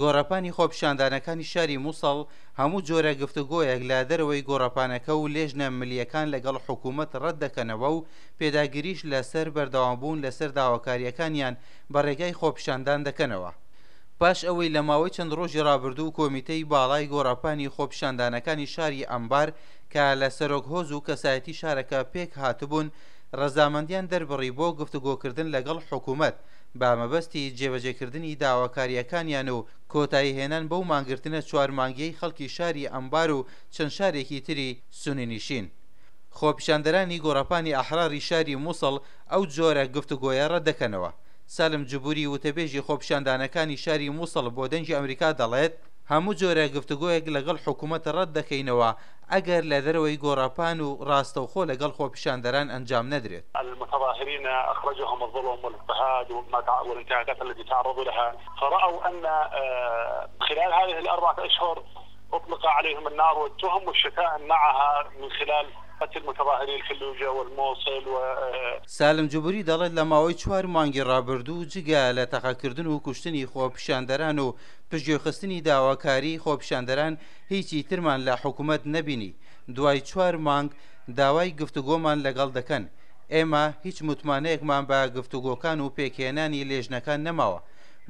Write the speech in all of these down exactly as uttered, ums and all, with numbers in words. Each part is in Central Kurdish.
گۆڕەپانی خۆپیشاندانەکانی شاری موسڵ هەموو جۆرە گفتوگۆیەک لە دەرەوەی گۆڕەپانەکە و لێژنە ملیەکان لەگەڵ حکوومەت ڕەت دەکەنەوە و پێداگریش لەسەر بەردەوامبوون لەسەر داواکاریەکانیان بە ڕێگای خۆپیشاندان دەکەنەوە. پاش ئەوەی لە ماوەی چەند ڕۆژی ڕابردوو کۆمیتەی باڵای گۆڕەپانی خۆپیشاندانەکانی شاری ئەنبار کە لە سەرۆک هۆز و کەسایەتی شارەکە پێک هاتبوون ڕەزامەندیان دەربڕی بۆ گفتوگۆکردن لەگەڵ حکوومەت بە مەبەستی جێبەجێکردنی داواکاریەکانیان و کۆتایی هێنان بەو مانگرتنە چوار مانگیەی خەڵکی شاری ئەنبار و چەند شارێکی تری سوننینشین. خۆپیشاندەرانی گۆڕەپانی ئەحراری شاری موسڵ ئەو جۆرە گفتوگۆیە ڕەت دەکەنەوە. سالم جبوری وتەبێژی خۆپیشاندانەکانی شاری موسڵ بۆ دەنگی ئەمریکا دەڵێت هەموو جۆرە گفتوگۆیەک لەگەڵ حکوومەت ڕەت دەکەینەوە ئەگەر لە دەرەوەی گۆڕەپان و ڕاستەوخۆ لەگەڵ خۆپیشاندەران ئەنجام نەدرێت. المتظاهرين أخرجهم الظلم والاضطهاد والانتهاكات التي تعرضوا لها، فرأوا أن خلال هذه الأربعة أشهر أطلق عليهم النار والتهم والشتائم معها من خلال قتل متظاهري الفلوجة والموصل و سالم جبوری دەڵێت لە ماوەی چوار مانگی ڕابردوو جگە لە تەقەکردن و کوشتنی خۆپیشاندەران و پشتگوێخستنی داواکاری خۆپیشاندەران هیچی ترمان لە حکوومەت نەبینی. دوای چوار مانگ داوای گفتوگۆمان لەگەڵ دەکەن. ئێمە هیچ متمانەیەکمان بە گفتوگۆکان و پێکهێنانی لێژنەکان نەماوە.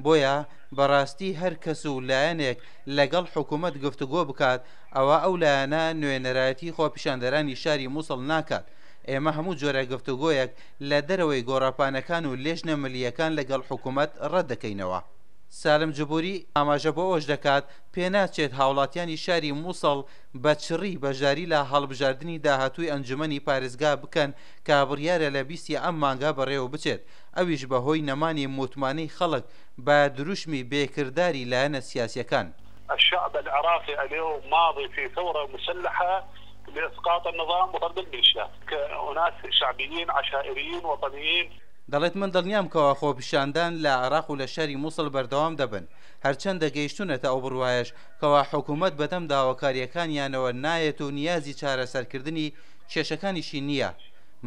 بۆیە بەڕاستی هەر کەس و لایەنێک لەگەڵ حکوومەت گفتوگۆ بکات ئەوە ئەو لایەنە نوێنەرایەتی خۆپیشاندەرانی شاری موسڵ ناکات. ئێمە هەموو جۆرە گفتوگۆیەک لە دەرەوەی گۆڕەپانەکان و لێژنە ملیەکان لەگەڵ حکوومەت ڕەت دەکەینەوە. سالم جبوری ئاماژە بۆ ئەوەش دەکات پێناچێت هاوڵاتیانی شاری موسڵ بە چڕی بەشداری لە هەڵبژاردنی داهاتووی ئەنجومەنی پارێزگا بکەن کە بڕیارە لە بیستی ئەم مانگا بەڕێوە بچێت، ئەویش بەهۆی نەمانی متمانەی خەڵک بە دروشمی بێکرداری لایەنە سیاسیەکان. الشعب العراقي اليوم ماضي في ثورة مسلحة لإسقاط النظام وطرد الميليشيات كأناس شعبيين عشائريين وطنيين. دەڵێت من دڵنیام کەوا خۆپیشاندان لە عێراق و لە شاری موسڵ بەردەوام دەبن، هەرچەندە گەیشتونەتە ئەو بڕوایەش کەوا حکوومەت بەدەم داواکاریەکانیانەوە نایەت و نیازی چارەسەرکردنی کێشەکانیشی نییە.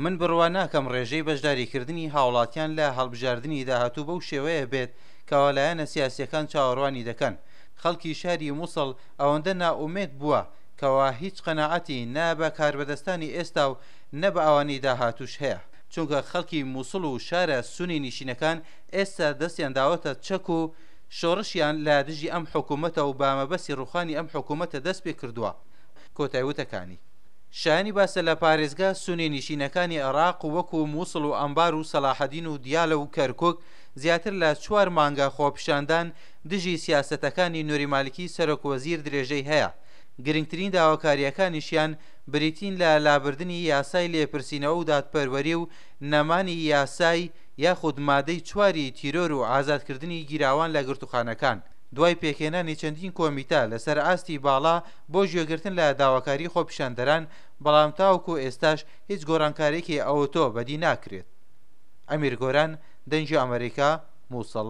من بڕوا ناکەم ڕێژەی بەشداریکردنی هاوڵاتیان لە هەڵبژاردنی داهاتوو بەو شێوەیە بێت کەوا لایەنە سیاسیەکان چاوەڕوانی دەکەن. خەڵکی شاری موسڵ ئەوەندە نائومێد بووە کەوا هیچ قەناعەتی نە بە کاربەدەستانی ئێستا و نە بە ئەوانەی داهاتووش هەیە، چونکە خەڵکی موسڵ و شارە سونی نیشینەکان ئێستا دەستیان داوەتە چەک و شۆڕشیان لە دژی ئەم حکوومەتە و بە مەبەستی ڕوخانی ئەم حکوومەتە دەست پێ کردووە. کۆتایی وتەکانی شایانی باسە لە پارێزگا سونی نیشینەکانی عێراق وەکو موسڵ و ئەنبار و سەلاحەدین و دیالە و کەرکوک زیاتر لە چوار مانگە خۆپیشاندان دژی سیاسەتەکانی نوری مالکی سەرۆک وەزیر درێژەی هەیە. گرنگترین داواکاریەکانیشیان بریتین لە لابردنی یاسای لێپرسینەوە و دادپەروەری و نەمانی یاسای یاخود مادەی چواری تیرۆر و ئازادکردنی گیراوان لە گرتوخانەکان. دوای پێکهێنانی چەندین کۆمیتە لەسەر ئاستی باڵا بۆ گوێگرتن لە داواکاری خۆپیشاندەران، بەڵام تاوەکو ئێستاش هیچ گۆڕانکارێکی ئەوتۆ بەدی ناکرێت. ئەمیر گۆران، دەنگی ئەمریکا، موسڵ.